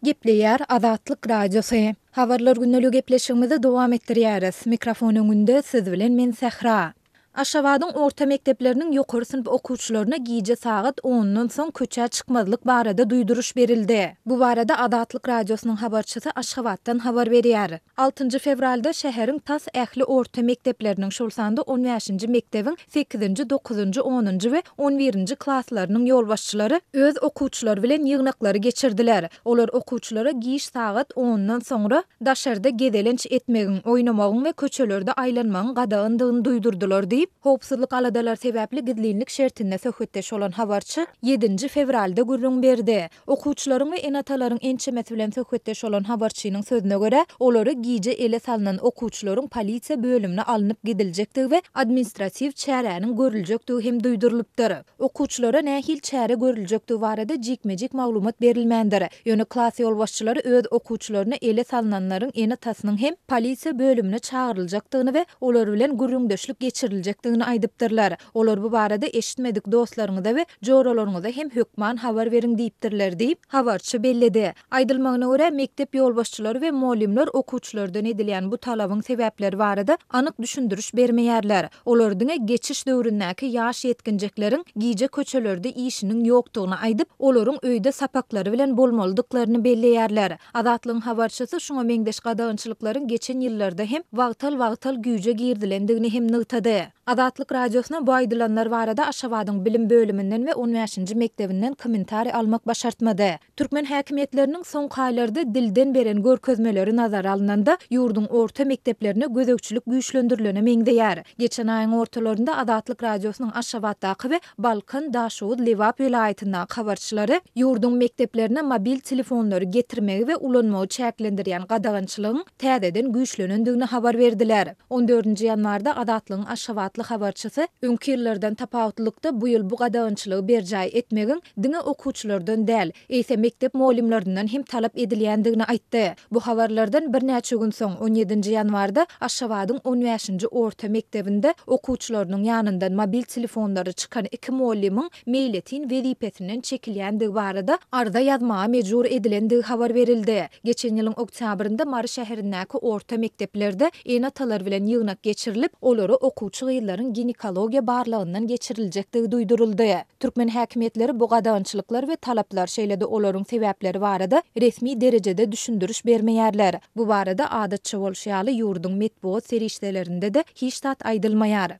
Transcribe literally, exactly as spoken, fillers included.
Gepleýär Azatlyk Radiosy. Habarlar gündelik gepleşigimizi dowam etdirýäris. Mikrofon öňünde siz bilen men Sähra. Aşgabadyň orta mekdepleriniň ýokary synp okuwçylaryna gije sagat ondan soň köçä çykmazlyk barada duýduryş berildi. Bu barada Azatlyk Radiosynyň habarçysy Aşgabatdan habar berýär. Altynjy fewralda şäheriň tas ähli orta mekdepleriniň, şol sanda on bäşinji mekdebiň sekizinji, dokuzynjy, onunjy we on birinji klaslarynyň ýolbaşçylary öz okuwçylary bilen ýygnaklary geçirdiler. Olar okuwçylara giç sagat ondan soňra daşarda gezelenç etmegiň, oýnamagyň we köçelerde aýlanmagyň gadagandygyny duýdurdylar diýip, howpsuzlyk aladalary sebäpli gizlinlik şertinde söhbetdeş bolan habarçy ýedinji fewralda gürrüň berdi. Okuwçylaryň we ene-atalaryň ençemesi bilen söhbetdeş bolan habarçynyň sözüne görä, olary gije ele salynan okuwçylaryň polisiýa bölümine alnyp gidiljekdigi we administratiw çäräniň görüljekdigi hem duýdurylypdyr. Okuwçylara nähili çäre görüljekdigi barada jikme-jik maglumat berilmändir. Ýöne klas ýolbaşçylary öz okuwçylaryna ele salynanlaryň ene-atasynyň hem polisiýa bölümine çagyryljakdygyny we olar bilen gürrüňdeşlik geçiriljekdigini aýdypdyrlar. Olar bu barada eşitmedik dostlaryňyza we joralaryňyza hem hökman habar beriň diýipdirler diýip, habarçy belledi. Aýdylmagyna görä, mekdep ýolbaşçylary we mugallymlar okuwçylardan edilýän bu talabyň sebäpleri barada anyk düşündiriş bermeýärler. Olar diňe geçiş döwründäki ýaş ýetginjekleriň gije köçelerde işiniň ýokdugyny aýdyp, olaryň öýde sapaklary bilen bolmalydyklaryny belleýärler. Azatlygyň habarçysy şuňa meňzeş gadagançylyklaryň geçen ýyllarda hem wagtal-wagtal güýje girizilendigini hem nygtady. Azatlyk Radiosyna bu aýdylanlar barada Aşgabadyň bilim bölüminden we on bäşinji mekdebinden kommentariý almak başartmady. Türkmen häkimiýetleriniň soňky aýlarda dilden beren görkezmeleri nazara alnanda, ýurduň orta mekdeplerine gözegçilik güýçlendirilene meňzeýär. Geçen aýyň ortalarynda Azatlyk Radiosynyň Aşgabatdaky we Balkan, Daşoguz, Lebap welaýatyndaky habarçylary ýurduň mekdeplerine mobil telefonlary getirmegi we ulanmagy çäklendirýän gadagançylygyň täzeden güýçlenendigini habar berdiler. On dördünji ýanwarda Azatlygyň Aşgabatly habarçysy öňki ýyllardan tapawutlykda bu ýyl bu gadagançylygy berjaý etmegiň diňe okuwçylardan däl, eýse mekdep mugallymlaryndan hem talap edilýändigini aýtdy. Bu habarlardan birnäçe gün soň on ýedinji ýanwarda Aşgabadyň on bäşinji orta mekdebinde okuwçylarynyň ýanyndan mobil telefonlary çykan iki mugallymyň meýletin wezipesinden çekilýändigi barada arza ýazmaga mejbur edilendigi habar berildi. Geçen ýylyň oktýabrynda Mary şäherindäki orta mekdeplerde ene-atalar bilen ýygnak geçirilip, olara okuwçy gyzlaryň ginekologiýa barlagyndan geçiriljekdigi duýduryldy. Türkmen häkimiýetleri bu gadagançylyklar we talaplar, şeýle-de olaryň sebäpleri barada resmi derejede düşündiriş bermeýärler. Bu barada adatça bolşy ýaly ýurduň metbugat serişdelerinde-de hiç zat aýdylmaýar.